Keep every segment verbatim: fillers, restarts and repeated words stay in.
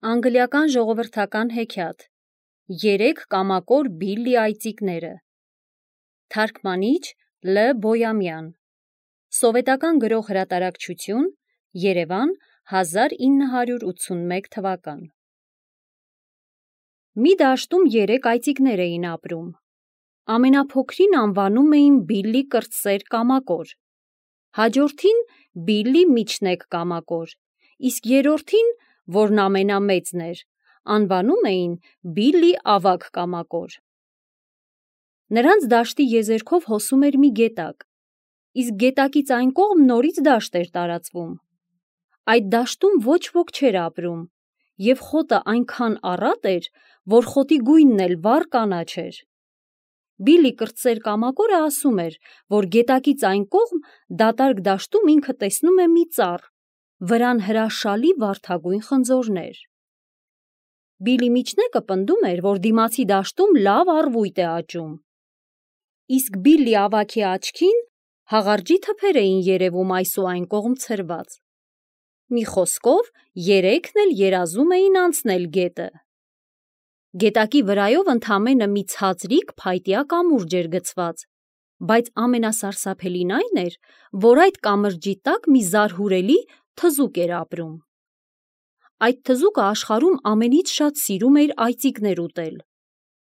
Անգլիական ժողովրդական հեքիաթ Երեք կամակոր Բիլլի այծիկները Թարգմանիչ Լ. Բոյամյան Սովետական գրող հրատարակչություն Երևան հազար ինը հարյուր ութսունմեկ թվական Մի դաշտում երեք այծիկներ էին ապրում։ Ամենափոքրին անվանում էին Բիլլի կրտսեր կամակոր, հաջորդին Բիլլի միջնեկ կամակոր, իսկ երրորդին, որն ամենամեծն էր, անվանում էին Բիլլի ավագ կամակոր։ Նրանց դաշտի եզերքով հոսում էր մի գետակ, իսկ գետակից այն կողմ նորից դաշտ էր տարածվում։ Այդ դաշտում ոչ ոք չէր ապրում, և խոտը այնքան առատ էր, որ խոտի գույնն էլ վառ կանաչ էր։ Բիլլի կրտսեր կամակորը ասում էր, որ գետակից այն կողմ դատարկ դաշտում ինքը տեսնում է մի ծառ, վրան հրաշալի վարդագույն խնձորներ։ Բիլլի միջնեկը պնդում էր, որ դիմացի դաշտում լավ առվույտ է աճում, իսկ Բիլլի ավագի աչքին հաղարջի թփեր էին երևում այս ու այն կողմ ցրված։ Մի խոսքով, երեքն էլ երազում էին անցնել գետը։ Գետակի վրայով ընդամենը մի ցածրիկ փայտյա կամուրջ էր գցված, բայց ամենասարսափելին այն էր, որ այդ կամրջի տակ մի զարհուրելի թզուկ էր ապրում։ Այդ թզուկը աշխարհում ամենից շատ սիրում էր այծիկներ ուտել։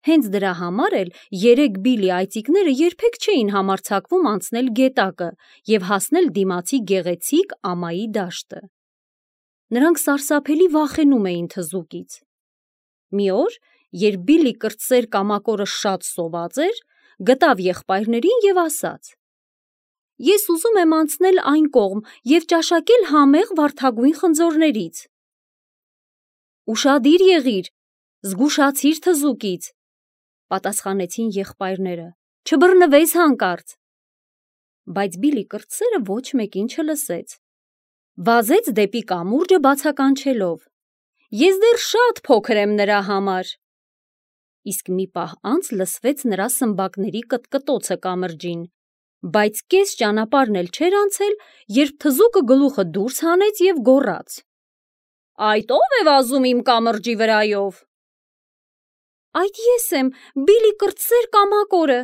Հենց դրա համար էլ երեք Բիլլի այծիկները երբեք չէին համարձակվում անցնել գետակը և հասնել դիմացի գեղեցիկ ամայի դաշտը։ Նրանք սարսափելի վախենում էին թզուկից։ Մի օր, երբ Բիլլի կրտսեր կամակորը շատ սոված էր, գտավ եղբայրներին և ասաց. «Ես ուզում եմ անցնել այն կողմ և ճաշակել համեղ վարդագույն խնձորներից»։ «Ուշադիր եղիր, զգուշացիր թզուկից», պատասխանեցին եղբայրները, «չբռնվես հանկարծ»։ Բայց Բիլլի կրտսերը ոչ մեկին չլսեց։ Վազեց դեպի կամուրջը բացականչելով. «Ես դեռ շատ փոքր եմ նրա համար»։ Իսկ մի պահ անց լսվեց նրա սմբակների կտկտոցը կամրջին, բայց կես ճանապարհն էլ չէր անցել, երբ թզուկը գլուխը դուրս հանեց և գոռաց. «Այդ ո՞վ է վազում իմ կամրջի վրայով»։ «Այդ ես եմ, Բիլլի կրտսեր կամակորը»,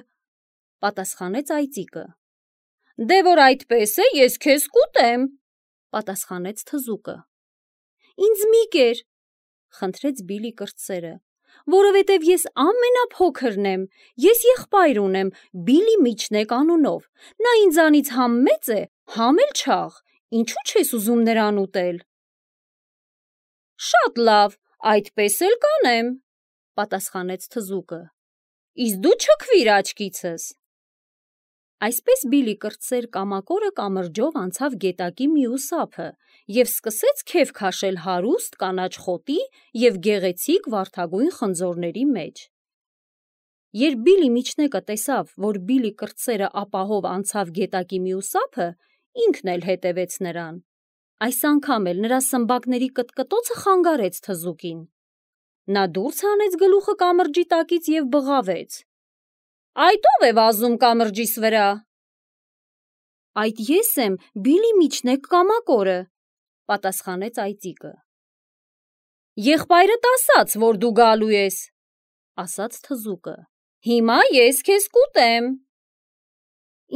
պատասխանեց այծիկը։ «Դե որ այդպես է, ես քեզ կուտեմ», պատասխանեց թզուկը։ «Ինձ մի կեր», խնդրեց Բիլլի կրտսերը, «որովհետև ես ամենափոքրն եմ, ես եղբայր ունեմ Բիլլի միջնեկ անունով, նա ինձանից համ մեծ է, համ էլ չաղ, ինչու չես ուզում նրան ուտել»։ «Շատ լավ, այդպես էլ կանեմ», պատասխանեց թզուկը, «իսկ դու չքվիր աչքիցս»։ Այսպես Բիլլի կրտսեր կամակորը կամրջով անցավ գետակի մյուս ափը և սկսեց քեֆ քաշել հարուստ կանաչ խոտի և գեղեցիկ վարդագույն խնձորների մեջ։ Երբ Բիլլի միջնեկը տեսավ, որ Բիլլի կրտսերը ապահով անցավ գետակի մյուս ափը, ինքն էլ հետևեց նրան։ Այս անգամ էլ նրա սմբակների կտկտոցը խանգարեց թզուկին։ Նա դուրս հանեց գլուխը կամրջի տակից և բղավեց. «Այդ ո՞վ է վազում կամրջիս վրա»։ «Այդ ես եմ, Բիլլի միջնեկ կամակորը», պատասխանեց այծիկը։ «Եղբայրդ ասաց, որ դու գալու ես», ասաց թզուկը, «հիմա ես քեզ կուտեմ»։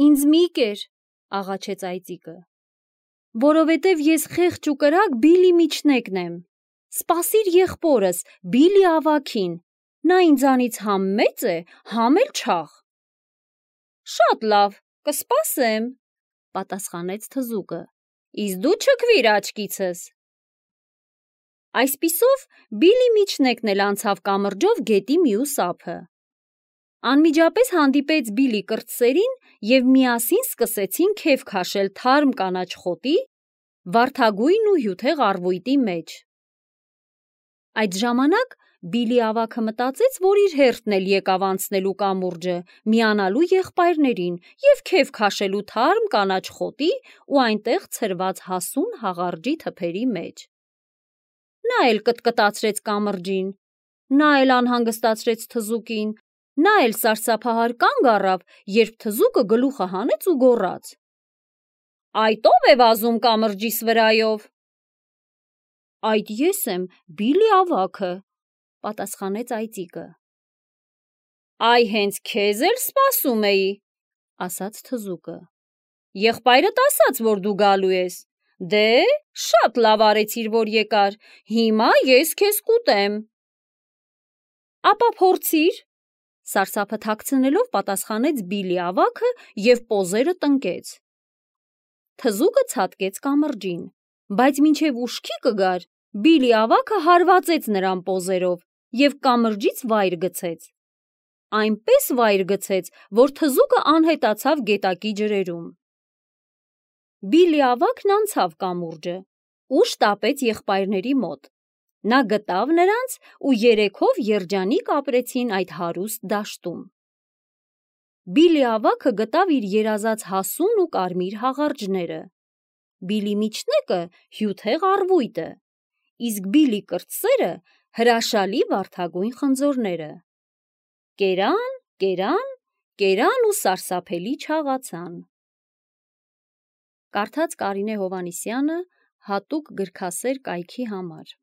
«Ինձ մի կեր», աղաչեց այծիկը, «որովհետև ես խեղճ ու կրակ Բիլլի միջնեկն եմ։ Սպասիր եղբորս, Բիլլի ավագին, նա ինձանից համ մեծ է, համ էլ չաղ»։ «Շատ լավ, կսպասեմ», պատասխանեց թզուկը, «իսկ դու չքվիր աչքիցս»։ Այսպիսով Բիլլի միջնեկն էլ անցավ կամրջով գետի մյուս ափը։ Անմիջապես հանդիպեց Բիլլի կրտսերին և միասին սկսեցին քեֆ քաշել թարմ կանաչ խոտի, վարդագույն ու հյութեղ առվույտի մեջ։ Այդ ժամանակ Բիլլի ավագը մտածեց, որ իր հերթն էլ եկավ անցնելու կամուրջը, միանալու եղբայրներին և քեֆ քաշելու թարմ կանաչ խոտի ու այնտեղ ցրված հասուն հաղարջի թփերի մեջ։ Նա էլ կտկտացրեց կամրջին, նա էլ անհանգստացրեց թզուկին, նա էլ սարսափահար կանգ առավ, երբ թզուկը գլուխը հանեց ու գոռաց. «Այդ ո՞վ է վազում կամրջիս վրայով»։ Այդ ես եմ Բիլի ավագը, պատասխանեց այծիկը։ Այ հենց քեզ էլ սպասում էի, ասաց թզուկը։ Եղբայրդ ասաց, որ դու գալու ես։ Դե, շատ լավ արեցիր, որ եկար, հիմա ես քեզ կուտեմ։ Ապա փորձիր, սարսափը թաքցնելով պատասխանեց Բիլի ավագը և պոզերը տնկեց։ Թզուկը ցատկեց կամրջին, բայց մինչև ուշքի կգար, Բիլի ավագը հարվածեց նրան պոզերով և կամրջից վայր գցեց։ Այնպես վայր գցեց, որ թզուկը անհետացավ գետակի ջրերում։ Բիլի ավագն անցավ կամուրջը ու շտապեց եղբայրների մոտ։ Նա գտավ նրանց ու երեքով երջանիկ ապրեցին այդ հարուստ դաշտում։ Բիլի ավագը գտավ իր երազած հասուն ու կարմիր հաղարջները, Բիլի միջնեկը հյութեղ առվույտը, իսկ Բիլի կրտսերը հրաշալի վարդագույն խնձորները։ Կերան, կերան, կերան ու սարսափելի չաղացան։ Կարդաց Կարինե Հովհաննիսյանը հատուկ գրքասեր կայքի համար։